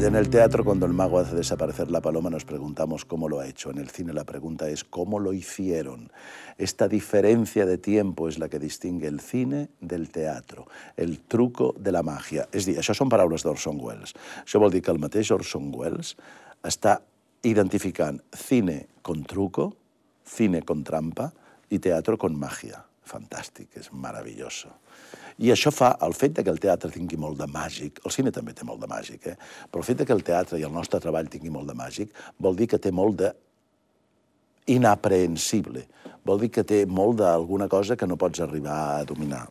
En el teatro, cuando el mago hace desaparecer la paloma, nos preguntamos cómo lo ha hecho. En el cine la pregunta es cómo lo hicieron. Esta diferencia de tiempo és la que distingue el cine del teatro, el truco de la màgia. És a dir, això són paraules d'Orson Welles. Això vol dir que el mateix Orson Welles està identificant cine con truco, cine con trampa i teatro con magia. Fantàstic, és meravelloso. I això fa, el fet que el teatre tingui molt de màgic, el cine també té molt de màgic, però el fet que el teatre i el nostre treball tingui molt de màgic vol dir que té molt d'inaprehensible, vol dir que té molt d'alguna cosa que no pots arribar a dominar.